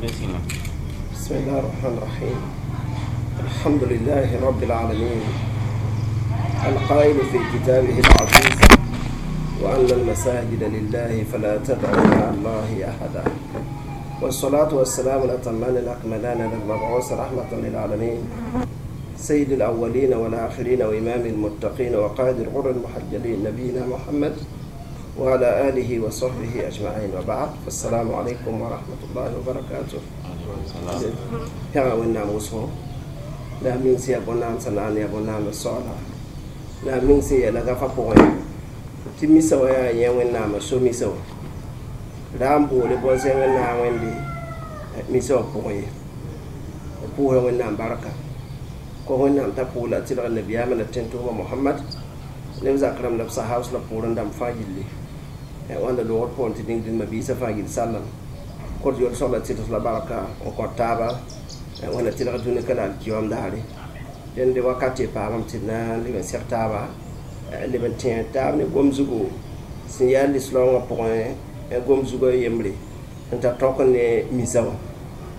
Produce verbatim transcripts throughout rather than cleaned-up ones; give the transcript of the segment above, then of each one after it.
Bismillah. بسم الله الرحمن الرحيم. الحمد لله رب العالمين، القائل في كتابه العزيز: وأن المساجد لله فلا تدعوا مع الله أحدا. والصلاة والسلام الأتمان الأكملان للمبعوث رحمة للعالمين، سيد الأولين والآخرين وإمام المتقين وقائد الغر المحجلين، نبينا محمد وعلى آله وصحبه أجمعين، وبعد، فالسلام عليكم ورحمة الله وبركاته. Pẽga Wẽnnaam wʋsgo la a meng sẽn yaa bõn-naam sẽn na n yaa bõn-naam soaala la a meng sẽn yɛla gafa pʋgẽ tɩ misa wã yaa yẽ Wẽnnaamã so misa wã ra n boole bõn-zẽng n naag Wẽnde misa wã pʋgẽ ye. B pʋʋsra Wẽnnaam barka kõ Wẽnnaam t'a pʋʋl la tɩlg nabiyaamã la tẽn-tʋʋma Mohamad ne b zak rãmb la b sahabs la poorẽ dãmb fãa gilli wãnda loogr pʋgẽ tɩ dĩng dĩnma biisã fãa gill sallam kõt yol sõgla tɩls la barka n kõt taaba Wẽnna tɩlg dũni ka la alkiyom daare. Dẽnd wakat tɩ paamame tɩ d na n leb n seg taaba, leb n tẽeg taab ne gom zugu sẽn yaa lislaoongã pʋgẽ gom zugã yembre n tar tõk ne misa wã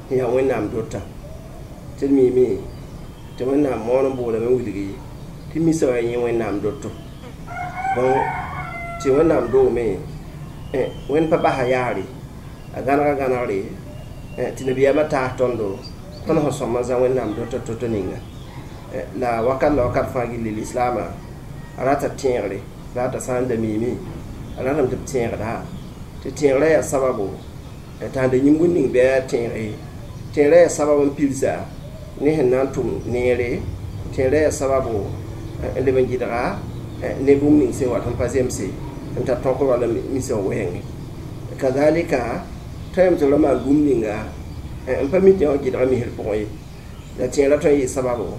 sẽn yaa Wẽnnaam dota tɩ d miime tɩ Wẽnnaam moon n boolame n wilgi tɩ misa wã yẽ Wẽnnaam doto. Donc tɩ Wẽnnaam doome Wẽnd pa basa yaare a gãnega gãnegre tɩ nabiyaamã taas tõndo tõnd sẽn sõm n zã Wẽnnaam dota to-to ninga la wakat la wakat fãa gilli lislaamã a rata tẽegre la t'a sã n da miime a ratame tɩ b tẽegda tɩ tẽegrã yaa sababo t'a sẽn da yĩng ning bɩ a tẽege tẽegrã yaa sabab n pilsa ne sẽn na n tʋm neere tẽegrã yaa sababo n leb n gɩdga ne bũmb ning sẽn wat n pa zemse n tar tõk wala misa wɛɛngẽ. Kazalika tõe tɩ ra maan bũmb ninga n pa mi tɩ wã gɩdga misr pʋgẽ ye la tẽegrã tõe n yɩ sababo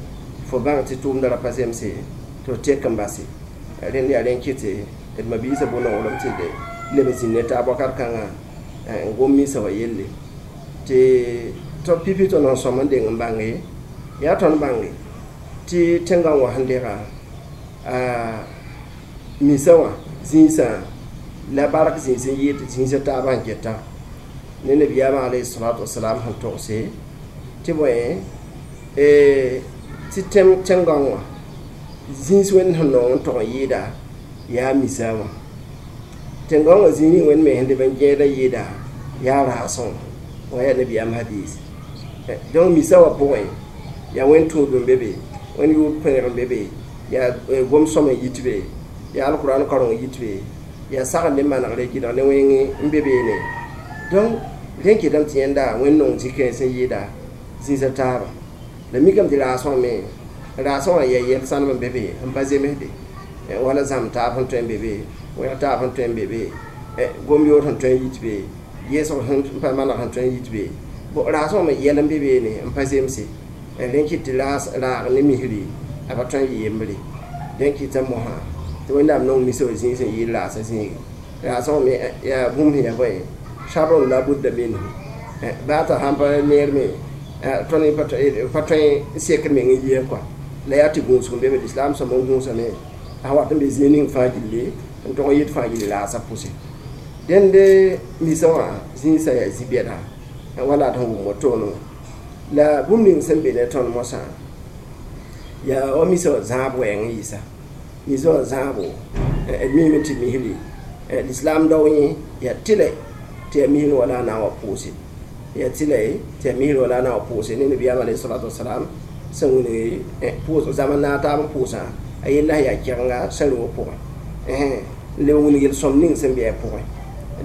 fo bãng tɩ tʋʋmdã ra pa zemse tɩ f tek n base. Rẽnd yaa rẽn kɩtɩ d mabiisã bʋ-nonglem tɩ d leb n zĩnd ne taab wakat kãngã n gom misa wã yelle tɩ tɩ pipi tõnd sẽn sõm n deng n bãnge yaa tõnd bãnge tɩ tẽngã wã sẽn dega misa wã zĩisã la bark zĩis n yɩɩd zĩisã taabã n geta ne nabiyaamã alayhi salatu wasalam sẽn togse tɩ bõe tɩ tẽngã wã zĩis Wẽnd sẽn nong n tog n yɩɩda yaa misa wã tẽngã wã zĩig ning Wẽnd me sẽn leb n gẽeda yɩɩda yaa raasẽ wã yaa nabiyaam hadis. Donc misa wã pʋgẽ yaa Wẽnd tũud n be be, Wẽnd yʋʋr pẽneg n be be, yaa gom sõm n yit be, yaa alkuraan kareng n yit be, yaa sagl ne manegre gɩdg ne wẽng n be beene. Donc rẽ kɩtame tɩ yẽnda Wẽnd nong zĩ-kãens n yɩɩda zĩisã taaba la mikame tɩ raasẽ wã me raasẽ wã yaa yɛl sãnem n be be n pa zemsde wala zãmb taab sẽn tõe n be be, wẽg taab sẽn tõe n be be, gom yoor sẽn tõe n yit be, yeesg sẽn pa maneg sẽn tõe n yit be. Bon, raasẽ wã me yɛl n be beene n pa zemse. Rẽ kɩt tɩ raag ne misri a pa tõe n yɩ yembre. Dẽn kɩta mosã tɩ Wẽnnaam nong misa wã zĩig sẽn yɩɩd raasã zĩige raasẽ wã me yaa bũmb sẽn yaa bõe sharun la budda minhu baa t'a sãn pa neer me tõnd pa tõe n sekd meng n yɩ kɔa la yaa tɩ gũusg n be be lislaam sõm n gũusame a wat n be zĩig ning fãa gilli n tog n yɩd fãa gilli raasã pʋse. Dẽnd misa wã zĩisã yaa zĩ-bɛda wala d sẽn wʋm wotoone la bũmb ning sẽn be ne tõnd mosã yaa wa misa wã zãab wɛɛng n yɩsa misa wã zãabo d miime tɩ misri lislaam dao yẽ yaa tɩlɛ tɩ yaa misr wala a na n wa pʋʋse yaa tɩlɛ tɩ yaa misr wala a na n wa pʋʋse ne nabiyaam alayhi salatu wasalam sẽn wilg pʋʋs zãma naag taab n pʋʋsã a yella sẽn yaa kɛgenga sã rʋʋg pʋgẽ n leb n wilg yel-sõm ning sẽn be a pʋgẽ.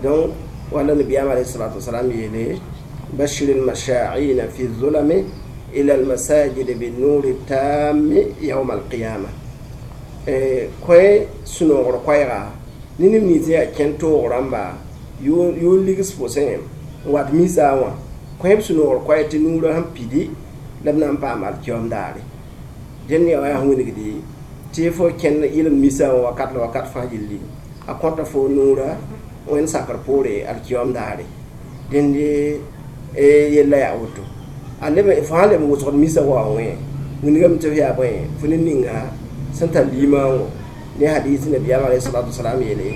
Donc wala nabiyaam alayhi salatu wasalam yeele: بشر المشاعين في الظلم إلى المساجد بالنور التام يوم القيامة. Koe sũ-noogr koɛɛga ne neb nins yaa kẽn toog rãmba yoon ligs pʋsẽ n wat misa wã kõ b sũ-noogr koɛɛ tɩ nuurã sẽn pidi la b na n paam alkiom daare. Dẽnd yaa wa yaa sẽn wilgdi tɩ fo kẽnd yɩlem misa wã wakat la wakat fãa gilli a kõta fo nuurã Wẽnd sakr poore alkiom daare. Dẽnd yella yaa woto a leb fo sãn leb n wʋsgd misa wa wẽ wilgame tɩ f yaa bõe fo ne ninga sẽn tar limaango ne hadis nabiyaam alayhi salatu wasalam yeele: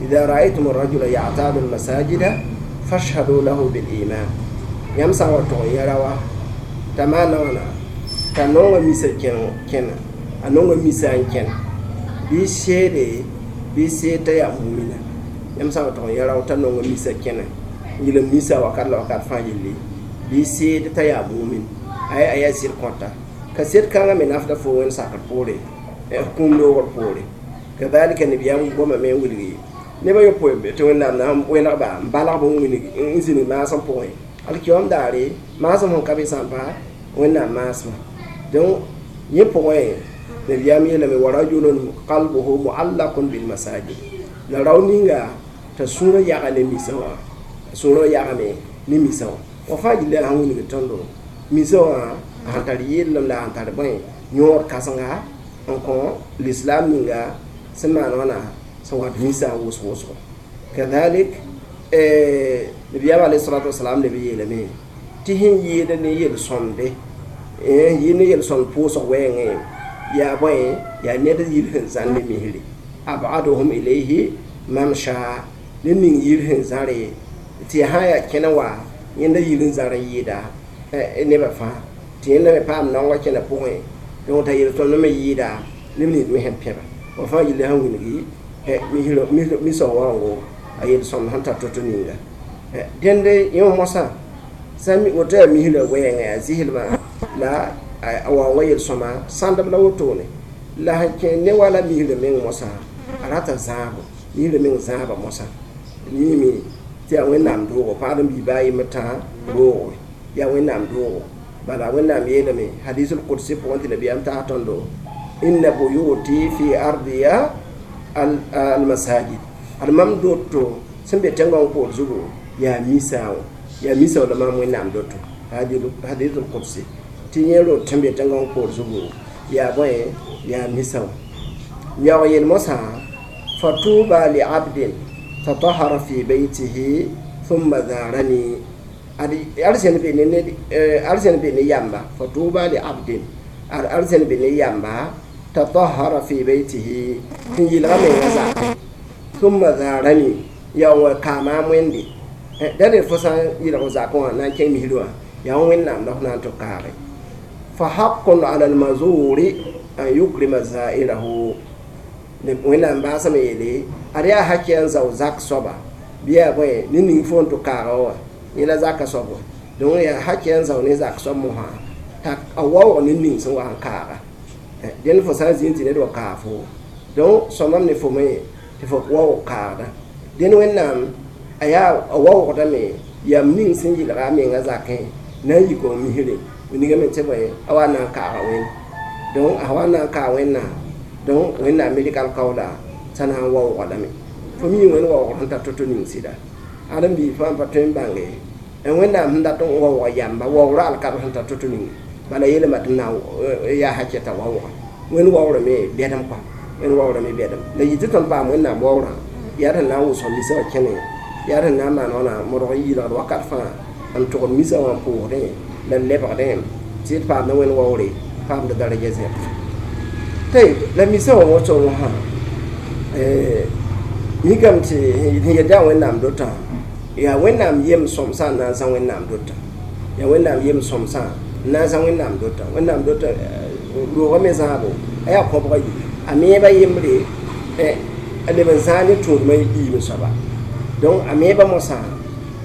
إذا رأيتم الرجل يعتاد المساجد فاشهدوا له بالإيمان. Yãmb sã n wa tog n yã raoã t'a maana wãna t'a nonga misa kẽna a nonga misa n kẽn bɩ seede bɩ seed t'a yaa mumina yãmb sã n wa tog n yã rao t'a nonga misa kẽna n yel misa wakat la wakat fãa yelle bɩ seed t'a yaa mumin ay a yaa sɩd kõta ka sed kãngã me nafda fo wẽnd sakr poore kũum loogr poore kadalika nabiyaam goma me n wilgi neb a yopoe tɩ wẽnnaam na n wẽnegba n balgb n wilg n zĩnig maasem pʋgẽ alkiyoom daare maasem sẽn ka be sã n pa wẽnnaam maasmã donc yẽ pʋgẽ nabiyaam yeelame wa rajulun qalbuhu muallaqun bilmasajid la rao ninga t'a sũurã yaga ne misã wã sũurã yagame ne misã wã wa fãa gilla sãn wilgd tõndo misã wã sẽn tar yellem la sẽn tar bõe yõod kãsenga n kõ l'islam ninga sẽn maan wãna sẽn wat misã wʋsg wʋsgo kadalik nabiyaam alayhi salatu wasalam leb yeelame tɩ sẽn yɩɩd ne yel-sõmde yɩɩd ne yel-sõmd pʋʋsg wɛɛngẽ yaa bõe yaa ned yir sẽn zãr ne misre abaduhum ilayhi mamsha ne ning yir sẽn zãre tɩ sã yaa kẽna wa yẽnda yir n zãr n yɩɩda nebã fãa tɩ yẽnda me paam naongã kẽna pʋgẽ donc t'a yel-sõmd me yɩɩda neb nins me sẽn pẽba wa fãa yilla sẽn wilgi misã waoongo a yel-sõmd sẽn tar to-to ninga dẽnde yẽ mosã sã woto yaa misrã wɛɛngã yaa zɩslmã la a waoongã yel-sõma sãndb la wotone la sẽn kẽ ne wala misrã meng mosã a rata zãabo misrã meng zãaba mosã miime tɩ yaa wẽnnaam doogo paad n bii baa yembr tã roogo yaa wẽnnaam doogo bala wẽnnaam yeelame hadisul qudsi pʋgẽ tɩ nabiyaam taas tõndo inna buyuti fi ardiya almasajid ad mam doto sẽn be tẽngong poor zugu yaa misã wã yaa misã la mam wẽnnaam doto hadisul qudsi tɩ yẽ rot sẽn be tẽngong poor zugu yaa bõe yaa misã wã yaoog yel mosã fatuba liabdin tatahara fi baytihi thumma zarani ad arzẽn be ne arzẽn be ne yamba fatuba li abdin ad arzẽn be ne yamba tatahara fi baytihi n yɩlga menga zakẽ thumma zarani yaa wa kaama wẽnde da fo sã n yɩlg zakẽ wã na n kẽng misr wã yaa wẽnnaam la f na n tɩ kaage fa haqqun ala almazuri an yukrima zairahu wẽnnaam baasame yeele ad yaa hakɩ n zao zak soaba bɩ yaa bõe ne ning fo n tɩ kaaga wã yẽ la zaka soab wã donc yaa hakɩ n zao ne zak soab mosã t'a a waoog ne ning sẽn wa n kaaga dẽnd fo sã n zĩnd tɩ ned wa kaag fo donc sõmam ne fo me tɩ fo waoog kaagda dẽnd wẽnnaam a yaa a waoogdame yam ning sẽn yɩlga a menga zakẽ na n yik n misre wilgame tɩ bõe a wa na n kaaga wẽnd donc a wa na n kaag wẽnnaam donc wẽnnaam me rɩk alkaoola t'a na n waooga lame fo mi wẽnd waoogr sẽn tar to-to ning sɩda ad n bii fãa pa tõe n bãnge wẽnnaam sẽn dat n waooga yamba waoogrã alkab sẽn tar to-to ning bala yeelame tɩ na yaa hakɛ t'a waooga wẽnd waoorame bɛdem kɔa wẽnd waoorame bɛdem la yɩ tɩ tõnd paam wẽnnaam waoorã yaa tɩ na n wʋsg misã wã kẽne yaa tɩ na n maan wãna modg n yɩlgd wakat fãa n tʋgd misã wã n pʋʋsdẽ la lebgdẽ tɩ d paamda wẽnd waoore paamda daraja zẽb tɩ la misã wã woto wã mikame tɩ sẽn yet yaa wẽnnaam dotã yaa wẽnnaam yem sõmsã n na n zã wẽnnaam dotã yaa wẽnnaam yem sõmsã n na n zã wẽnnaam dotã wẽnnaam dotã roogã me zãabo a yaa kõbga yi a meeba yembre a leb n zãag ne tũudmã yiime soaba donc a meeba mosã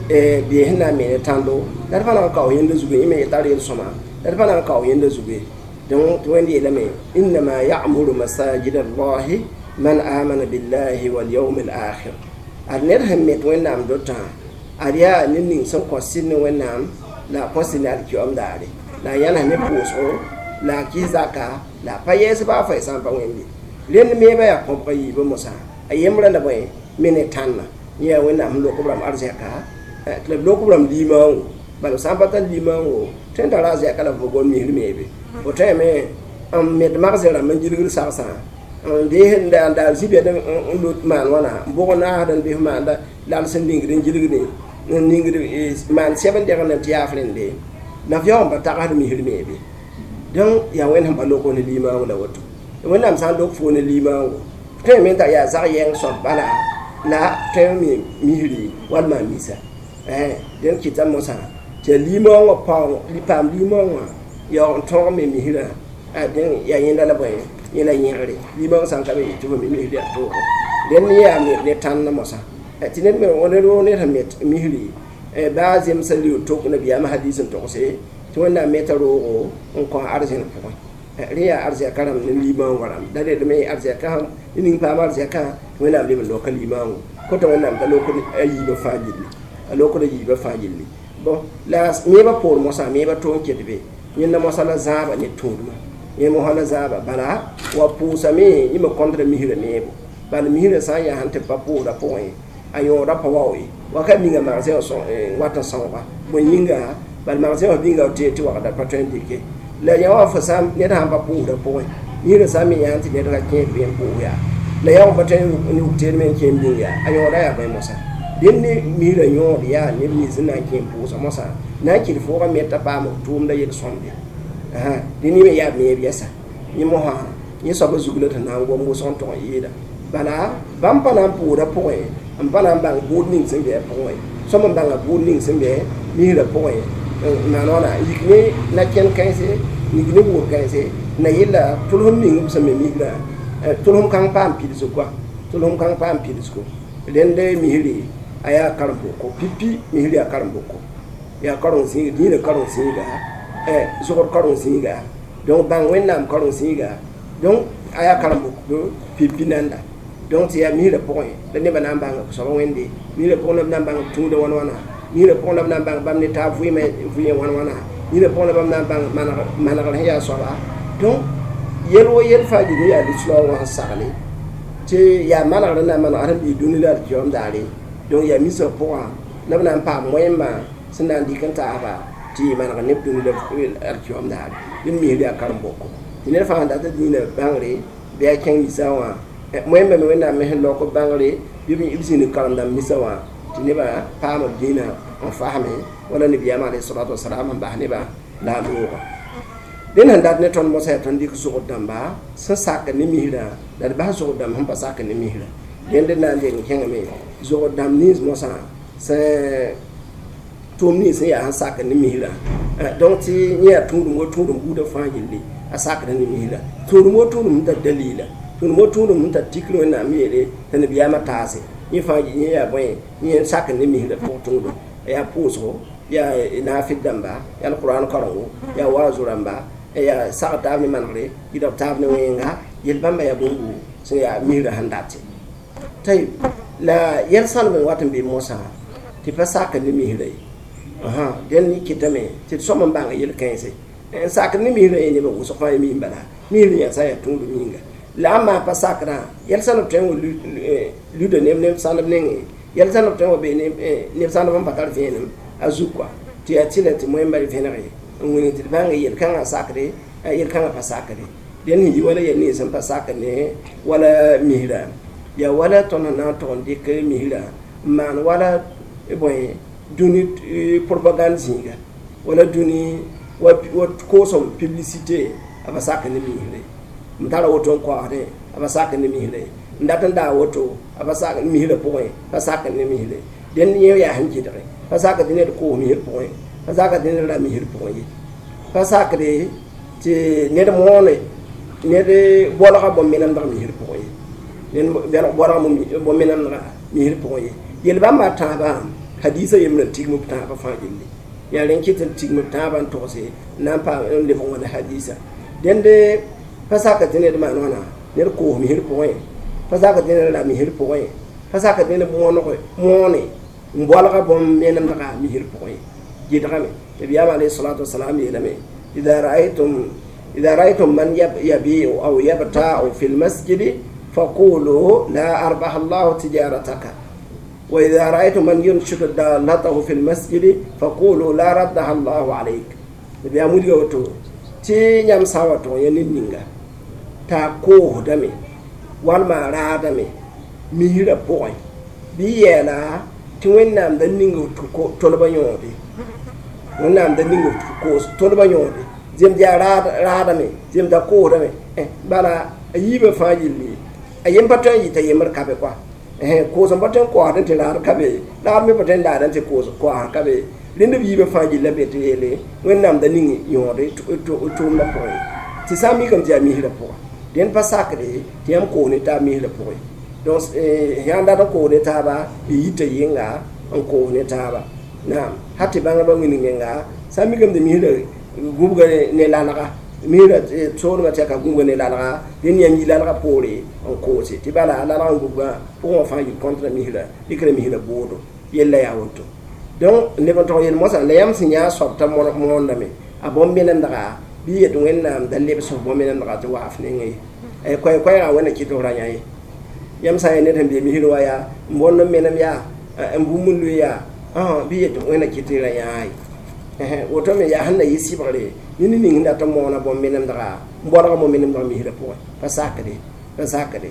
bee sẽn na n me ne tãndo la d pa na n kao yẽnda zugu yẽ me tar yel-sõma la d pa na n kao yẽnda zugu donc tɩ wẽnd yeelame innama ya'muru masajid allahi man amana billahi wal yawm al akhir ad ned sẽn met wẽnnaam dotã ad yaa ned ning sẽn kõ sɩd ne wẽnnaam la a kõ sɩd ne alkiyoom daare la a yãnes ne pʋʋsgo la a kɩs zaka la a pa yɛɛs baa fa sã n pa wẽnde rẽnd meeba yaa kõbga yiibã mosã a yembrã la bõe me ne tãnna yẽ yaa wẽnnaam sẽn lok b rãmb arzɛka tɩ la b lok b rãmb limaoongo bala b sã n pa tar limaoongo tõe n tara arzɛka la f gom misr meebe fo tõeme n met magsẽ rãmb n gilgd sagsã n dees n daal zĩ-bɛd n lot maan wãna n bʋg naasd n bes maanda lal sẽn ningd n gilgde n ningd maan sɛb n degend tɩ yaaf rẽnde nafiyaag n pa tagsd misr meebe donc yaa wẽnd sẽn pa lok ne limaoong la woto wẽnnaam sã n lok fo ne limaoongo tõe me t'a yaa zag yɛng soab bala la tõe me misri wall maan misa dẽnd kɩta mosã tɩ Tɩ limõongã paoong paam limõongã yaoog n tõog me misrã a dẽn yaa yẽnda la bõe yẽ la yẽgre limõong sã n ka be tɩ fo mi misr yaa toogo dẽnd yaa ne tãnd mosã tɩ ned me ned woo ned sẽn met misri baa zemsã liu tok nabiyaamã hadis n togse tɩ wẽnnaam meta roogo n kõ arzẽn pʋgẽ rẽ yaa arzɛka rãmb ne limõongã rãmb da redme arzɛka sẽn ning paam arzɛkã tɩ wẽnnaam leb n loka limõongo kota wẽnnaam t'a lokd a yiibã fãa gilli a lokd a yiibã fãa gilli bon la meebã poor mosã meebã to n ket be yẽnda mosã la zãaba ne tũudmã yẽ mosã la zãaba bala wa pʋʋsame yẽ me kõndra misrã meebo bala misrã sã n yaa sẽn tɩ pa pʋʋsdã pʋgẽ a yõoda pa wao ye wakat ninga magsẽ wã wat n sõoga bõe yĩnga bala magsẽ wã bĩnga tɩ tɩ wagda pa tõe n dɩke la yã wã fo sã ned sãn pa pʋʋsdã pʋgẽ misrã sã n me yã tɩ ned ka kẽed bɩ n pʋʋs yaa la yã wã pa tõe n ruk teed me n kẽ n bĩng yaa a yõoda yaa bõe mosã dẽnd ne misrã yõod yaa neb nins n na n kẽ n pʋʋsa mosã na n kɩt foogã me t'a paam tʋʋmda yel-sõmde dẽ ne me yaa meeb yɛsa yẽ mosã yẽ soabã zug la tɩ na n gom wʋsg n tog n yɩɩda bala bãmb pa na n pʋʋsdã pʋgẽ n pa na n bãng bʋʋd ning sẽn be a pʋgẽ sõm n bãnga bʋʋd ning sẽn be misrã pʋgẽ n maan wãna yik ne na-kẽnd kãense yik ne wʋʋd kãense na yella tʋlsem ning b sẽn me misrã tʋlsem kãng paam pidsg koa tʋlsem kãng paam pidsgo rẽnd misri a yaa karen-boko pipi misri yaa karen-boko yaa karen-zĩiga dĩinã karen-zĩiga zogd karen-zĩiga donc bãng wẽnnaam karen-zĩiga donc a yaa karen-boko pipi nanda donc tɩ yaa misrã pʋgẽ la nebã na n bãng soaba wẽnde misrã pʋgẽ la b na n bãng tũudã wãn wãna misrã pʋgẽ la b na n bãng bãmb ne taab vɩɩmã vɩɩ wãn wãna misrã pʋgẽ la bãmb na n bãng manegr sẽn yaa soaba donc yel wo yel fãa gil yaa lislaoog wã sẽn sagle tɩ yaa manegr n na n maneg sẽn bii dũni la alkiyoom daare donc yaa misã pʋgã la b na n paam wẽmba sẽn na n dɩk n taasba tɩ yɩ maneg neb dũni la alkiyoom daare dẽnd misr yaa karen-boko tɩ ned fãa sẽn dat dĩinã bãngre bɩ a kẽng misã wã wẽmba me wẽnnaam me sẽn laok b bãngre bɩ b zĩnd karen-dãmb misã wã tɩ nebã paam b dĩinã n fasme wala nabiyaamã alayhi salatu wasalam n bas nebã la a loogã dẽnd sẽn dat ne tõnd mosã yaa tõnd dɩk zogd dãmba sẽn sak ne misrã la d bas zogd dãmb sẽn pa sak ne misrã dẽnd n na n deng kẽngame zogd dãmb nins mosã sẽn tʋʋm nins sẽn yaa sẽn sak ne misrã donc tɩ yẽ yaa tũudum wo tũudum buudã fãa gilli a sakd ne misrã tũudum wo tũudum sẽn tar dalila tũudum wo tũudum sẽn tar tikr wẽnnaam yeele tɩ nabiyaamã taase yẽ fãa yẽ yaa bõe yẽ sak ne misrã pʋg tũudum yaa pʋʋsgo yaa naafɩd dãmba yaa alqur'an karengo yaa waazu rãmba yaa sag taab ne manegre yɩdg taab ne wẽnga yel bãmba yaa bũmb sẽn yaa misrã sẽn date tayb la yɛl sãlem n wat n be mosã tɩ pa sak ne misrã ye dẽnd kɩtame tɩ d sõm n bãng yel-kãense n sak ne misrã ye nebã wʋsg fãa mi n bala misrã yaa sã n yaa tũudum yĩnga la a maa pa sakrã yɛl sãlb tõe n wa luda neb neb sãlb nengẽ yɛl sãlb tõe n wa bee neb sãlb n pa tar vẽenem a zug kɔa tɩ yaa tɩla tɩ moẽmba vẽnege n wilg tɩ d bãng yel-kãngã sakre yel-kãngã pa sakre dẽnd sẽn yi wala yɛl nins sẽn pa sak ne wala misrã yaa wala tõnd sẽn na n tog n dɩk misrã n maan wala bõe dũni propagande zĩiga wala dũni wa koosem publicité a pa sak ne misrã n tara woto n koasdẽ a pa sak ne misrã n dat n daa woto a pa sak misrã pʋgẽ pa sak ne misrã dẽnd yẽ yaa sẽn kɩdge pa sak tɩ ned koos misr pʋgẽ pa sak tɩ ned ra misr pʋgẽ ye pa sakde tɩ ned moone ned bolga bõn-menemdg misr pʋgẽ ye ned bolga bõn-menemdga misr pʋgẽ ye yel bãmba tãabã hadisa yembrã tigm b tãabã fãa gilli yaa rẽn kɩt n tigm b tãabã n togse n na n paam n lebg wãna hadisa dẽnd pa sak tɩ ned maan wãna ned koos misr pʋgẽ pa sak tɩ ned ra misr pʋgẽ pa sak tɩ ned mooneg moone n bolga bõn-menemdga misr pʋgẽ gɩdgame nabiyaam alayhi salatu wasalam yeelame إذا رأيتم إذا رأيتم من يبيع أو يبتاع في المسجد فقولوا لا أربح الله تجارتك وإذا رأيتم من ينشد دالته في المسجد فقولوا لا ردها الله عليك nabiyaam wilga woto tɩ yãmb sã n wa tʋg yã ned ninga t'a koosdame walma a raadame misrã pʋgẽ bɩ yɛɛla tɩ wẽnnaam da ning tolbã yõode wẽnnaam da ning koos tolbã yõode zemd yaa raadame zemd a koosdame bala a yiibã fãa yelle a yem pa tõe n yɩta yembr ka be koa koos n pa tõe n koasd tɩ raad ka be raad me pa tõe n daad tɩ koos koasd ka be Rẽnd b yiibã fãa gilla be tɩ yeele Wẽnnaam da ning yõode tʋʋmdã pʋgẽ tɩ sã n mikame tɩ yaa misrã pʋga dẽnd pa sakre tɩ yãmb koos ne taab misrã pʋgẽ donc yãn dat n koos ne taaba y yita yɩnga n koos ne taaba naam ha tɩ bãngdbã wĩndg menga sã n mikame tɩ misrã gũbga ne lalga misrã soolmã tɩ yaa ka gũbga ne lalga dẽnd yãmb yi lalga poore n koose tɩ bala lalg n gũbgã pʋgẽ wã fãa yil kõntra misrã dɩkra misrã boodo yella yaa woto donc leb n tog yel moasã la yãmb sẽn yã soab t'a moondame a bõn-menemdga bɩ yet Wẽnnaam da lebs f bõn-menemdga tɩ waaf nengẽ ye koɛɛ-koɛɛgã wẽnna kɩt f ra yã ye yãmb sã n yaa ned sẽn be misr wa yaa n bõnd n menem yaa n bũmb n lʋɩ yaa bɩ yet Wẽnna kɩt tɩ ra yãa ye woto me yaa sẽn na yɩ sɩbgre ne ned ning sẽn dat n moona bõn-menemdga n bõdg bõn-menemdg misrã pʋgẽ pa sakde pa sakde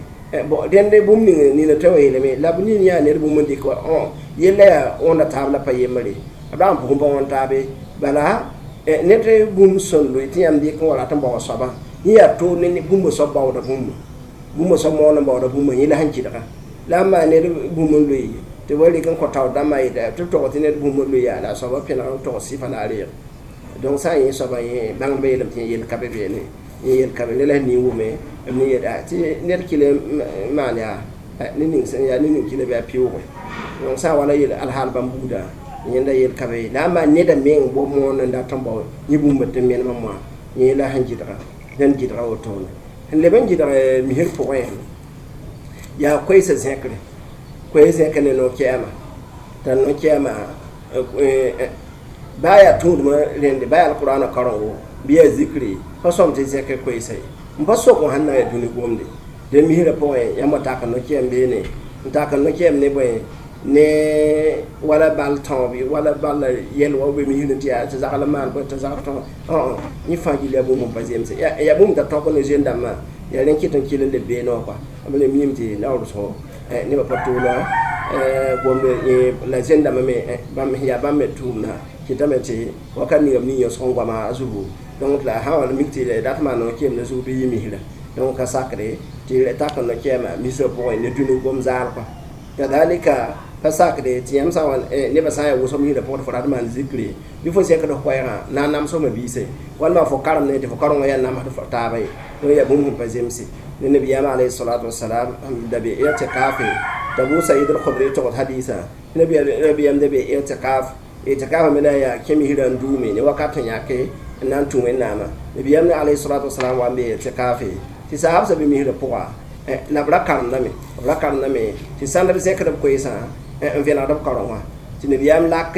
bon rẽnd bũmb ning nina tõe n yeelame la b nin yaa ned bũmb n dɩk wa yella yaa wõnda taab la pa yembre b dag n pʋgẽ pa wõn taabe bala ned bũmb sẽn loe tɩ yãmb dɩk n wa rat n baoog soabã yẽ yaa to ne bũmb soab baooda bũmba bũmb soab moon n baooda bũmba yẽ la sẽn kɩdga la n maan ned bũmb n loe tɩ wa rɩk n kõ taoor dãmbã yeta tɩ b tog tɩ ned bũmb n loe yaa la a soabã pẽneg n tog sɩfa la a reeg donc sã n yẽ soabã yẽ bãngdbã yeelame tɩ yẽ yel ka be beene yẽ yel ka be la la nin wʋme b ne yeta tɩ ned kɩl n maan yaa ne ning sẽn yaa ne ning kɩla bɩ a pɩʋʋge donc sã n wala yel alhaal bãmb buudã yẽnda yel ka be la n maan neda meng bo moon n dat n bao yẽ bũmb tɩ menemã moã yẽ la sẽn gɩdga dẽnd gɩdga wotone n leb n gɩdg misr pʋgẽ yaa koeesã zẽkre koees zẽk ne no-kɛɛma t'a no-kɛɛma baa yaa tũudmã rẽnde baa yaa alqurana karengo bɩ yaa zikri pa sõm tɩ zẽk koeesa ye n pa sok n sẽn na n yaa dũni gomde dẽ misrã pʋgẽ yãmb tak n no-kɛɛm beene n tak n no-kɛɛm ne bõe ne wala bal tõob wala bal yɛl wa be misrã tɩ yaa tɩ zagl n maan bõe tɩ zagl tõog yẽ fãa gil yaa bũmb n pa zemse yaa bũmb t'a tõk ne zoen-dãmbã yaa rẽ kɩt n kɩl n leb beene wã kɔa b le miime tɩ naoor wʋsgo nebã pa tʋʋla gomd la zoen-dãmbã me bãmb yaa bãmb me tʋʋmda kɩtame tɩ wakat ninga b ning yõsg n goama a zugu donc la sã wa mik tɩ dat maan no-kɛɛm ne zug bɩ yɩ misrã donc ka sakre tɩ tak n no-kɛɛma misrã pʋgẽ ne dũni gom zaal kɔa kadalika pa sakre tɩ yãmb sã n wa nebã sã n yaa wʋsg misrã pʋgẽ tɩ fo rat maan zikri bɩ fo zẽkd f koɛɛgã na n namsgme biise walma fo karem ne tɩ fo karengã yaa namsd taaba ye donc yaa bũmb sẽn pa zemse ne nabiyaamã alayhi salatu wasalam da be i'tikafe Abu Sa'id al-Khudri tog hadisa nabiyam da be i'tikaf i'tikaf me la yaa kẽ misrã n duume ne wakat sẽn yãke n na n tũ Wẽnnaamã nabiyam ne alayhi salatu wasalam wa n be i'tikafe tɩ saabsã be misrã pʋga la b ra karemdame b ra karemdame tɩ sãnd b zẽkd b koeesã n vẽnegd b kareng wã tɩ nabiyaam lak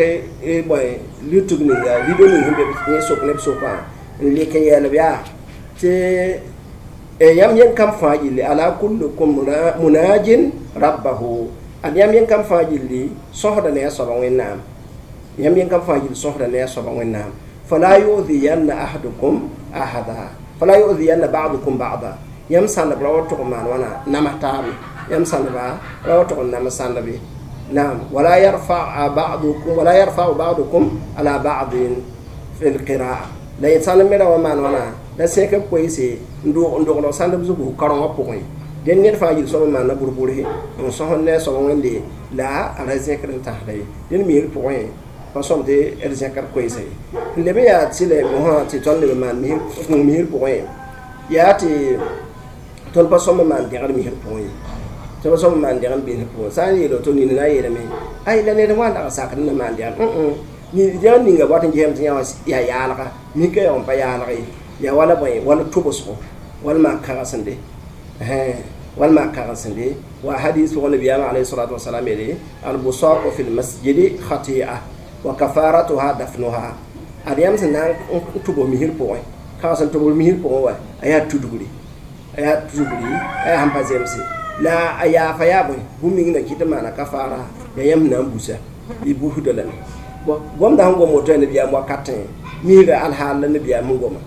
bõe lutg ninga rido ning sẽn be yẽ sok ne b sokã n lek n yɛɛl b yaa tɩ yãmb yẽn kam fãa gilli ala kullukum munajin rabbahu ad yãmb yẽn kam fãa gilli sõsda ne a soaba Wẽnnaam yãmb yẽn kam fãa gilli sõsda ne a soaba Wẽnnaam fala yu'dhiyanna ahadukum ahada fala yu'dhiyanna ba'dukum ba'da yãmb sãndb ra wa tʋg n maan wãna namas taabe yãmb sãndba ra wa tʋg n namas sãndbe naam wala yarfa ba'dukum wala yarfa'u ba'dukum ala ba'din fi al-qira'a la yẽ sãnd me ra wa maan wãna la sẽk b koeese n dogd sãndb zugu karengã pʋgẽ dẽnd ned fãa yil sõm n maana bur-burse n sõsd ne a soab Wẽnde la a ra zẽkd n tãsda ye dẽnd misr pʋgẽ pa sõm tɩ d zẽkd koeesa ye n leb n yaa tɩlɛ mosã tɩ tõnd leb n maan kũum misr pʋgẽ yaa tɩ tõnd pa sõm n maan dẽgd misr pʋgẽ ye tõnd pa sõm n maan dẽgd misr pʋgẽ sã n yeel woto nina na n yeelame ay la ned wã dag sakd n na maan dẽgd dẽgd ninga wat n gesame tɩ yã wã yaa yaalga mika yaa n pa yaalg ye yaa wala bõe wala tʋbsgo wala maan kagsende wala maan kagsende wa hadis pʋgẽ nabiyaamã alayhi salatu wasalam yeele albusaqu fi lmasjidi khati'a wa kafaratuha dafnuha ad yãmb sẽn na n tʋbs misr pʋgẽ kags n tʋbs misr pʋgẽ wa a yaa tudgri a yaa tudgri a yaa sẽn pa zemse la a yaafa yaa bõe bũmb ning na kɩt n maana kafara yaa yãmb sẽn na n busa y busda lame gomda sẽn gom woto yaa nabiyaam wakatẽ misrã alhaal la nabiyaam sẽn goma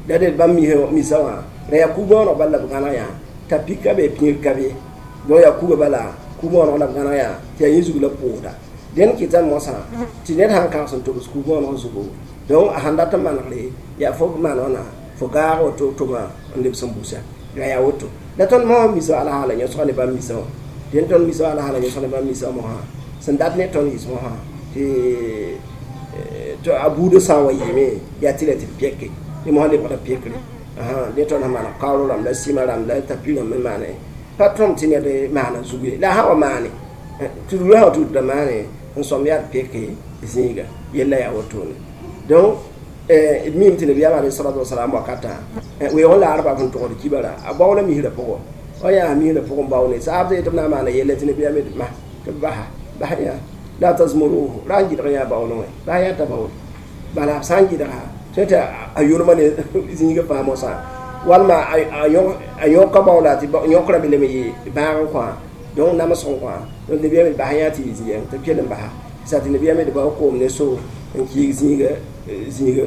la d bãmb misa wã ra yaa ku-bõoneg bala la b gãneg yã t'a pika be pĩig ka be donc yaa kuga bala ku-bõoneg la b gãneg yã tɩ yaa yẽ zug la pʋʋsda dẽnd kɩta mosã tɩ ned sãn kãgs n tobs ku-bõoneg zugu donc a sãn dat n manegre yaa fo maan wãna fo gaag woto tʋma n lebs n busa la yaa woto la tõnd mosã misa alhaala yõsga ne bãmb misa wã dẽnd tõnd misa alhaala yõsg ne bãmb misa wã mosã sẽn dat ne tõnd yɩs mosã tɩ to a buudã sã n wa yɩɩme yaa tɩ la tɩ d pɛke tɩ mosã lebgda pekre ne tõnd sẽn maan kaoor rãmb la sɩmã rãmb la tapi rãmb n maane pa tõm tɩ ned maana zug ye la a sã wa maane tɩ rugã sã wa tudda maane n sõm yaa d peke zĩiga yella yaa wotone donc d miime tɩ nabiyaam alayhi salatu wasalam wakatã weoog n laarba sẽn togd kibara a baoola misrã pʋgẽ wa yaa misrã pʋgẽ bao ne saab tɩ b na n maana yella tɩ nabiyaam yetɩ ma tɩ b basa bas yã la tazmuruhu ra n gɩdg yã baoolẽ wã bas yã t'a baool bala b sã n gɩdga tɩ tɩ a yʋlma ne zĩigã fãa mosã walma a yõka baoola tɩ yõkrã me lem yɩ bãag n kõ donc namsg n kõ donc nabiyaam d bas yã tɩ yɩ zĩigã tɩ b kell n basa sa tɩ nabiyaam d bao koom ne so n kiig zĩiga zĩiga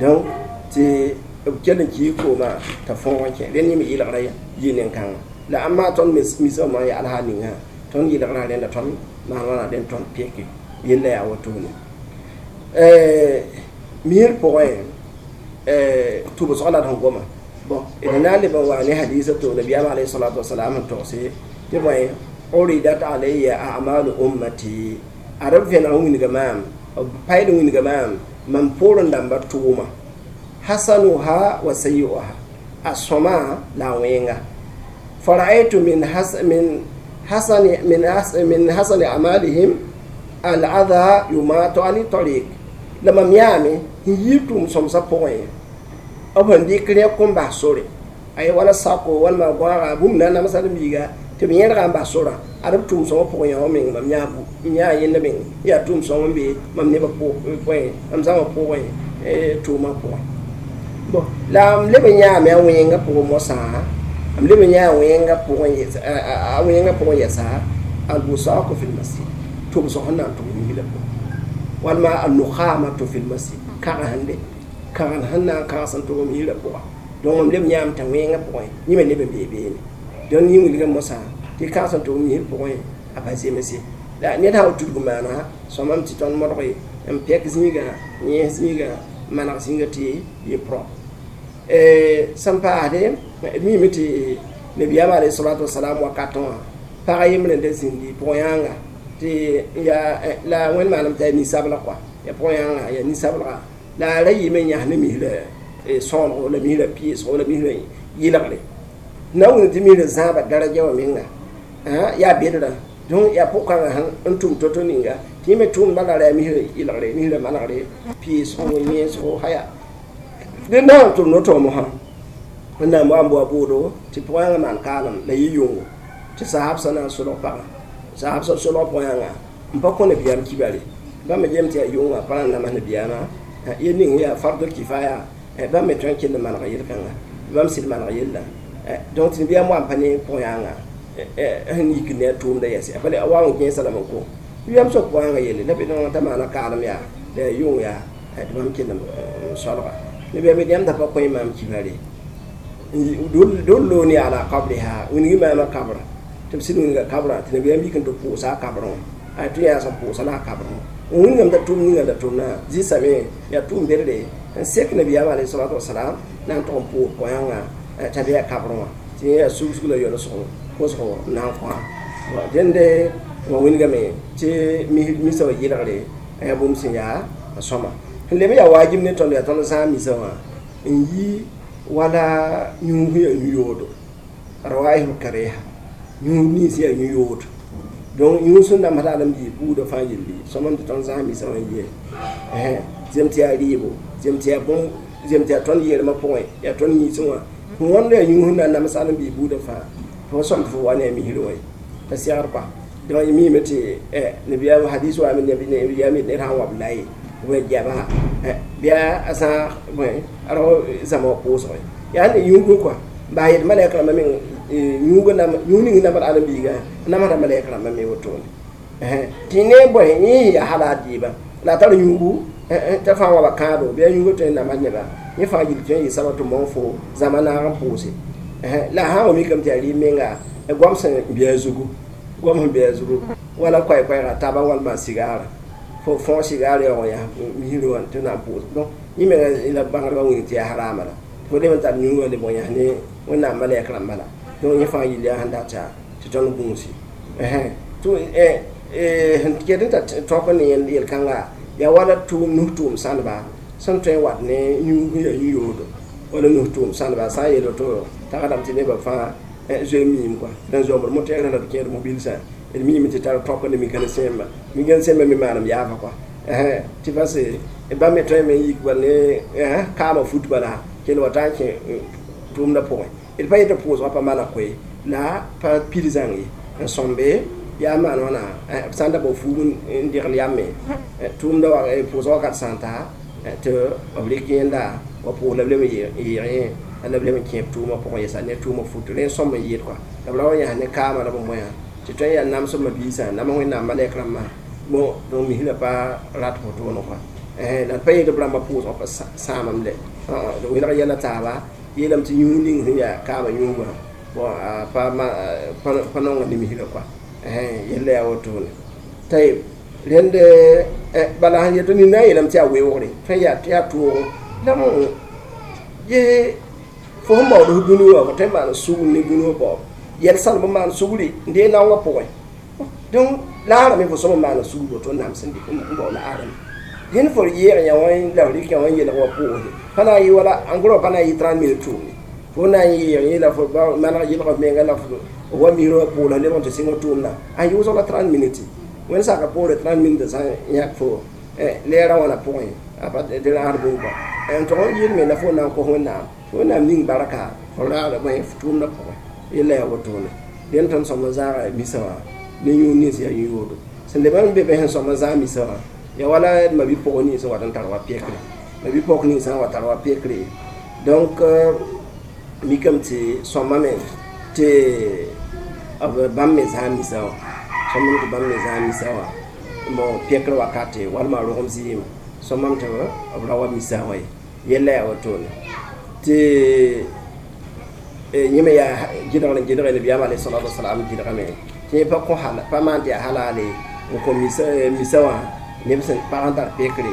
donc tɩ b kell n kiig koomã t'a fõog n kẽ rẽnd yẽ me yɩlgra yɩ nen-kãngã la ãmba tõnd misã yaa alhaal ninga tõnd yɩlgrã rẽnda tõnd maan wãna rẽnd tõnd peke yella yaa wotone misr pʋgẽ tʋbsg la d sẽn goma bon d na n leb n wa ne hadisa to nabiyaam alayhi salatu wasalam sẽn togse tɩ bõe uridat alayya a'malu ummati ad b vẽneg n wilga maam b payd n wilga maam mam poorẽ dãmba tʋʋma hasanuha wa sayi'uha a sõma la a wẽnga fara'aytu min has min hasani min has min hasani amalihim al-adha yumatu ani tariq la mam yaame n yɩ tʋʋm sõmsã pʋgẽ b sẽn dɩk rẽk n bas sore ay wala sako walma goãaga bũmb na n namsa d biiga tɩ b yẽdga n bas sorã ad b tʋʋm sõmã pʋgẽ yã wã meng mam yãa yãa yẽnda meng yaa tʋʋm sõm n be mam nebã pʋgẽ mam zãmã pʋgẽ tʋʋmã pʋgẽ bon la m leb n yãame a wẽngã pʋgẽ mosã m leb n yãa wẽngã pʋgẽ a wẽngã pʋgẽ yɛsa al-busaku fi l-masjid tʋbsg sẽn na n tʋg misrã pʋgẽ walma al-nukhamatu fi l-masjid kãg sẽn be kãgen sẽn na n kãgs n tʋg misrã pʋga donc mam leb yãame t'a wẽngã pʋgẽ yẽ me leb n bee beene donc yẽ wilgã mosã tɩ kãgs n tʋg misr pʋgẽ a pa zemse la ned sã wa tudg maana sõmame tɩ tõnd modge n pɛk zĩigã yẽes zĩigã maneg zĩiga tɩ yɩ propre sẽn paasde d miime tɩ nabiyaam alayhi salatu wasalam wakatẽ wã pag yembre n da zĩndi pʋg-yãanga tɩ yaa la wẽnd maanam t'a yaa ninsabla kɔa yaa pʋg-yãanga yaa ninsablega la a ra yɩɩme n yãs ne misrã sõonego la misrã pɩɩsgo la misrã yɩlgre na wĩnd tɩ misrã zãaba daraja wã menga yaa bedrã donc yaa pʋg-kãngã sẽn tʋm to-to ninga tɩ yẽ me tʋʋmdã la ra yaa misrã yɩlgre misrã manegre pɩɩsgo yẽesgo haya dẽ na n tʋm no-toom sã wẽnnaam wa n boa boodo tɩ pʋg-yãngã maan kaalem la yɩ yʋngo tɩ sahabsã na n solg pagã sahabsã solg pʋg-yãngã n pa kõ nabiyaam kibare bãmb me gem tɩ yaa yʋngã pa na n nams nabiyaamã yel ning yaa fardul kifaya bãmb me tõe n kell n maneg yel-kãnga bãmb sɩd maneg yella donc tɩ nabiyaam wa n pa ne pʋg-yãngã sẽn yik ne a tʋʋmda yɛse a pa wa n kẽesa lame n kõ nabiyaam sok pʋg-yãngã yelle la t'a maana kaalem yaa la yaa yʋng yaa tɩ bãmb kell n solga nabiyaam yet yãmb da pa kõ maam kibare dulluni ala qabriha wilgi maama kabra tɩ b sɩd wilga kabra tɩ nabiyaam yik n tɩ pʋʋsa a kabrẽ wã tɩ yaa sẽn pʋʋsa la a kabrẽ wã wilgame t'a tʋʋm ninga la tʋmna zĩsame yaa tʋʋm bedre n sek nabiyaam alayhi salatu wasalam na n tʋg n pʋʋs pʋyãngã t'a be a kabrẽ wã tɩ yẽ yaa sugsg la yolsgo kosgo n na n kõ dẽnde wã wilgame tɩ misã wã yɩlgre yaa bũmb sẽn yaa a sõma sẽn leb n yaa waajib ne tõnd yaa tõnd zãag misã wã n yi wala yũus yaa yũ-yoodo rawaihul kariha yũus nins yaa yũ-yoodo donc yũus sẽn namsda alen-biis buudã fãa yelli sõmam tɩ tõnd zãag misã wã n yee zem tɩ yaa rɩɩbo zem tɩ yaa bũmb zem tɩ yaa tõnd yeelmã pʋgẽ yaa tõnd yĩnsẽ wã fo wãnd yaa yũus sẽn na n nams alen-biis buudã fãa fo sõm tɩ fo wa ne a misrã wã ye t'a segd kɔa donc y miime tɩ nabiyaam hadis wa nabiyaam yet ned sã n wa b la ye bõe goama bɩa a zãag bõe a rao zãma wã pʋʋsgẽ yaa ne yũugu kɔa baa yet malɛk rãmbã meng yũugã yũu ning namd alen-biigã namsda malɛk rãmbã me wotone tɩ ne bõe yẽ yaa hala a dɩɩbã la a tar yũugu t'a fãa wa ba kãado bɩ a yũugã tõe n namsd nebã yẽ fãa yil tõe n yɩ sabab tɩ mong fo zãma naag n pʋʋse la a sã n wa mikame tɩ yaa rɩɩb menga goam sẽn bɩ a zugu goam sẽn bɩ a zugu wala koɛɛ-koɛɛga taba walma sigaara fo fõog sigaar yaoog n yaa misrã wã tɩ na n pʋʋs donc yẽ menga la bãngdbã wing tɩ yaa harama la fo leb n tar yũugã leb n yãs ne wẽnnaam malɛk rãmba la donc yẽ fãa yil yaa sẽn data tɩ tõnd gũusi tɩ sẽn ket n t'a tõk ne yel-kãnga Yaa wala tʋʋm nus tʋʋm sãneba sẽn tõe n wat ne yũug sẽn yaa yũ-yoodo wala nus tʋʋm sãneba sã n yeel woto tagsdame tɩ nebã fãa zoe n miime kɔa dẽn zombd motɛɛr la d kẽed mobilsã d miime tɩ tar tõk ne mécanicien mécanicien me maanem yaafa kɔa tɩ parce bãmb me tõeme n yik bal ne kaamã fut bala kell wa taa n kẽ tʋʋmdã pʋgẽ d pa yetɩ pʋʋsgã pa maneg koe la pa pid zãng ye n sõmbe yaa maan wãna b sã n da bao fuug n degl yame tʋʋmda pʋʋsg wakat sã n ta tɩ b rɩk yẽnda wa pʋʋs la b leb n yɩɩg la b leb n kẽ b tʋʋmã pʋgẽ yɛsa ne tʋʋmã fut rẽ n sõm n yɩɩd kɔa la b ra wa yãs ne kaamã la b moyã tɩ tõe n yaa namsb mabiisã nam Wẽnnaam malɛk rãmbã bon donc misrã pa rat wotone kɔa la d pa yetɩ b rãmbã pʋʋsgã pa sãamame lɛ welg yɛla taaba yeelame tɩ yũud ning sẽn yaa kaamã yũugã bon pa pa nonga ne misrã kɔa yella yaa wotone tayb rẽnd bala sẽn yetɩ nina yeelame tɩ yaa weoogre tõe n yaa tɩ yaa toogo la ye fo sẽn baood f dũni wã fo tõe n maan sugr ne dũni wã baoob yɛl sãnemb n maan sugri n dee naongã pʋgẽ donc laarã me fo sõm n maana sugr woto n nams n bao laarã dẽnd fo yɛɛg yã wã la f rɩk yã wã n yelg wa pʋʋsde pa na n yɩ wala en gros pa na n yɩ trente minutes tʋʋmde fo na n yɛɛg yẽ la fo maneg yelg f menga la f wa misrã wã pʋʋla lebg n tɩ sɩng tʋʋmda a yʋʋsg la trente minutes wẽnd saka poore trente minutes sã n yãk fo lɛɛrã wãna pʋgẽ a pa tɩ rãasd bũmb kɔa n tog n yɩɩl me la fo na n kos Wẽnnaam Wẽnnaam ning barka fo raada bõe f tʋʋmdã pʋgẽ yella yaa wotone dẽnd tõnd sõm n zãaga misa wã ne yũud nins yaa yũ-yoodo sẽn leb n be be sẽn sõm n zãag misa wã yaa wala mabi-pʋg nins n wat n tar wa pekre mabi-pɔk nins sã n wa tar wa pekre donc mikame tɩ sõmame tɩ b bãmb me zãag misa wã sõmame tɩ bãmb me zãag misa wã bon pekr wakate walma rogem zɩɩm sõmame tɩ b ra wa misa wã ye yella yaa wotone tɩ yẽ me yaa gɩdgr n gɩdge nabiyaam alayhi salatu wasalam gɩdgame tɩ yẽ pa kõ pa maan tɩ yaa halale n kõ misa wã neb sẽn pag n tar pekre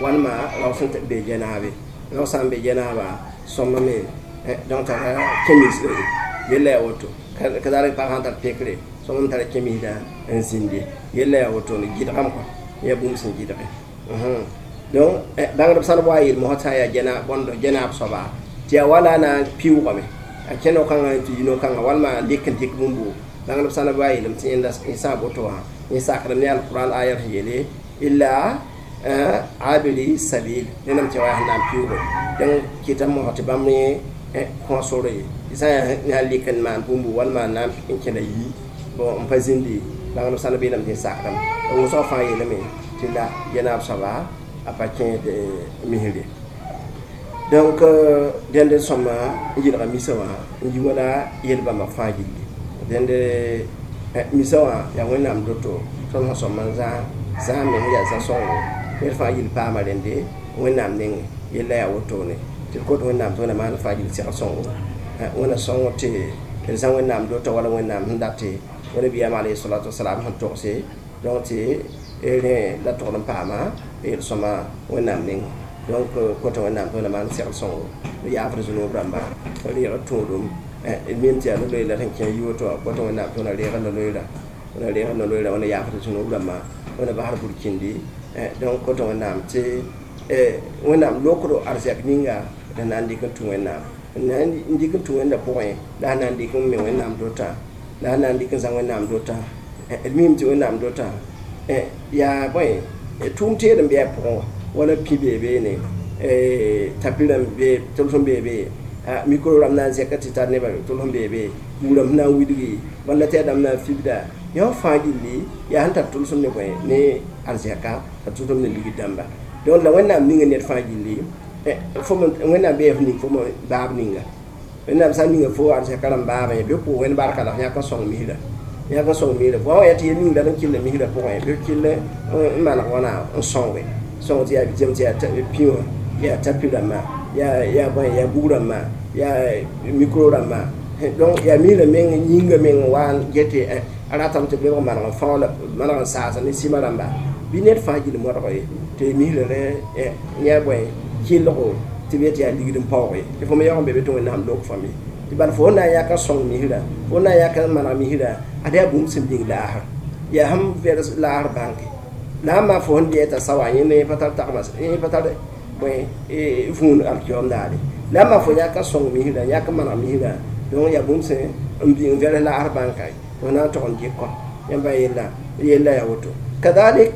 walma rao sẽn be jɛnaabe rao sã n be jɛnaaba sõmame donc tara kẽmisda ye yella yaa woto kazalik pag sã n tar pekre sõmame tara kẽmisda n zĩnde yella yaa wotone gɩdgame kɔa yaa bũmb sẽn gɩdge donc bãngdb sãn wa yeel mosã sã n yaa jɛnaab bõnd jɛnaab soaba tɩ yaa wala na n piʋʋgame a kẽ no-kãngã tɩ yi no-kãngã walma lek n dɩk bũmbo bãngdb sãn wa yeelame tɩ yẽnda sã boto wã yẽ sakdame ne alquran aya sẽn yeele illa abiri sabil nẽnam tɩ wa yaa sẽn na n piʋʋge donc kɩtame mosã tɩ bãmb yẽ kõ sore ye tɩ sã n yaa lek n maan bũmbu walma na n kẽna yi bon n pa zĩndi bãngdb sãn beelame tɩ sakdame b wʋsg fãa yeelame tɩ la jɛnaab soaba a pa kẽed misre donc dẽnd sõma n yɩlga misa wã n yi wala yel-bãmba fãa gilli dẽnd misa wã yaa Wẽnnaam doto tõnd sẽn sõm n zãag zãag me sẽn yaa zã-sõngo ned fãa gill paama rẽnde Wẽnnaam nengẽ yella yaa wotone tɩ d kot Wẽnnaam tɩ Wẽnnaam maan fãa gill segl sõngo Wẽnna sõngo tɩ d zã Wẽnnaam dota wala Wẽnnaam sẽn date wa nabiyaam alayhi salatu wasalam sẽn togse donc tɩ rẽ la togd n paama yel-sõma Wẽnnaam nengẽ donc kota Wẽnnaam tɩ Wẽnnaam maan segl sõngo d yaafd zũnub rãmba reeg d tũudum d mim tɩ yaa no-loeer la sẽn kẽ yi woto wã kota Wẽnnaam tɩ Wẽnna reeg no-loeera Wẽnna reeg no-loeera Wẽnna yaafd zũnub rãmbã Wẽnna basd burkĩndi donc kota Wẽnnaam tɩ Wẽnnaam lokdo arzɛk ninga d na n dɩk n tũ Wẽnnaam n na n dɩk n tũ Wẽnda pʋgẽ la sẽn na n dɩk n me Wẽnnaam dota la sẽn na n dɩk n zã Wẽnnaam dota d mim tɩ Wẽnnaam dota yaa bõe tʋʋm teed n bɩ a pʋgẽ wã wala pĩ bee beene tapi rãmb be tʋlsem bee be micro rãmb na n zẽka tɩ tar nebã tʋlsem bee be buurãmb sẽn na n widgi bãmb la tɩ yaa dãmb na n fibda yã fãa gilli yaa sẽn tar tʋlsem ne bõe ne arzɛka tɩ tʋlsem ne ligd dãmba donc la Wẽnnaam ninga ned fãa gilli fo Wẽnnaam bee f ning fo baab ninga Wẽnnaam sã n ninga fo arzɛka rãmb baabẽ bɩ pʋʋg wẽnd barka la f yãk n sõng misrã yãk n sõng misrã fo wã yaa tɩ yel ning la n kell misrã pʋgẽ bɩ kell n maneg wãna n sõnge sõng tɩ yaa jem tɩ yaa pĩ wã yaa tapi rãmbã yaa yaa bõe yaa bug rãmbã yaa micro rãmbã donc yaa misrã meng yĩnga meng wa n get a ratame tɩ b lebg maneg n fao la maneg n saasa ne sɩma rãmba bɩ ned fãa gill modg ye tɩ misrã rẽ yã bõe kelgo tɩ b yet yaa ligd n paoog ye tɩ fo me yaoog n be be tɩ Wẽnnaam lok fãa me tɩ bala fo na n yak n sõng misrã fo na n yak n maneg misrã ad yaa bũmb sẽn bĩng laasr yaa sẽn vɛrs laasr bãnke La n maan fo sẽn dɩ t'a sawa, yẽnd pa tar tagma, yẽ pa tar bõe vũun alkiyoom daare. La n maan fo yãk n sõng misrã, yãk n maneg misrã, donc yaa bũmb sẽn n bɩ n vɛls laasr bãnka tɩ f na n tog n dɩk kɔ yãmba yella yella yaa woto. Kadalik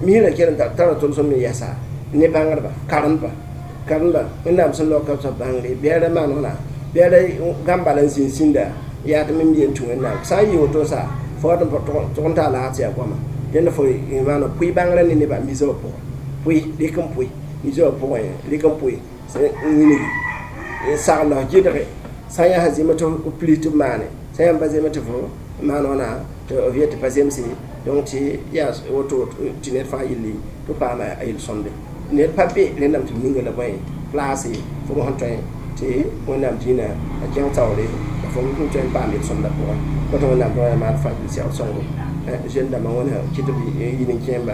misrã kell n tara tʋlsem me yɛsa ne bãngdba, karemba karemba Wẽnnaam sẽn laoka b bãngre bɩ a ra maan wãna, bɩ a ra gãmb bala n zĩnd sĩnda yaa tɩ mem yen tũ Wẽnnaam sã n yɩ woto sa fo wat n tʋg n taa laag tɩ yaa goama. Dẽnd fo maana pʋɩ bãngrã ne nebã misã wã pʋgẽ, pʋɩ rɩk n pʋɩ misã wã pʋgẽ, rɩk n pʋɩ n wilgi n sagl la f gɩdge sã n yaa sẽn zẽmb tɩ f pili tɩ b maane, sã yãmb pa zemb tɩ fo maan wãna tɩ f yet tɩ pa zemse. Donc tɩ yaa woto tɩ ned fãa yelli tɩ paama a yel-sõmde. Ned pa be rẽndame tɩ b ninga la bõe place fo sẽn tõe tɩ Wẽnnaam dĩinã a kẽng taoore la fo sẽn tõe n paam yel-sõmdã pʋgẽ. Kõt Wẽnnaam tɩ maan fãa segd sõngo jeune dãmbã wẽna kɩ tɩ b yil n kẽemba.